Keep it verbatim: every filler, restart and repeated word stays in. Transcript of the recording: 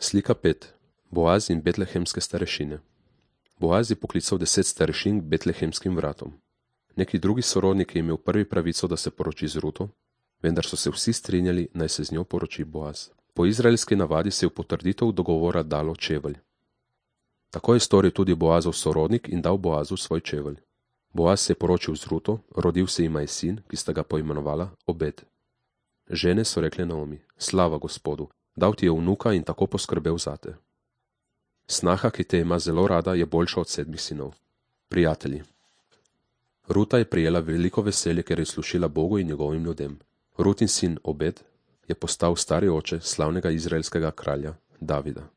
Slika pet. Boaz in betlehemske starešine. Boaz je poklical deset starešin k betlehemskim vratom. Neki drugi sorodnik je imel prvi pravico, da se poroči z Ruto, vendar so se vsi strinjali, naj se z njo poroči Boaz. Po izraelski navadi se je v potrditev dogovora dalo čevelj. Tako je storil tudi Boazov sorodnik in dal Boazu svoj čevelj. Boaz se je poročil z Ruto, rodil se jima je sin, ki sta ga poimenovala Obed. Žene so rekle Naomi: slava Gospodu, dal ti je vnuka in tako poskrbel zate. Snaha, ki te ima zelo rada, je boljša od sedmih sinov. Prijatelji. Ruta je prijela veliko veselje, ker je slušila Bogu in njegovim ljudem. Rutin sin Obed je postal stari oče slavnega izraelskega kralja Davida.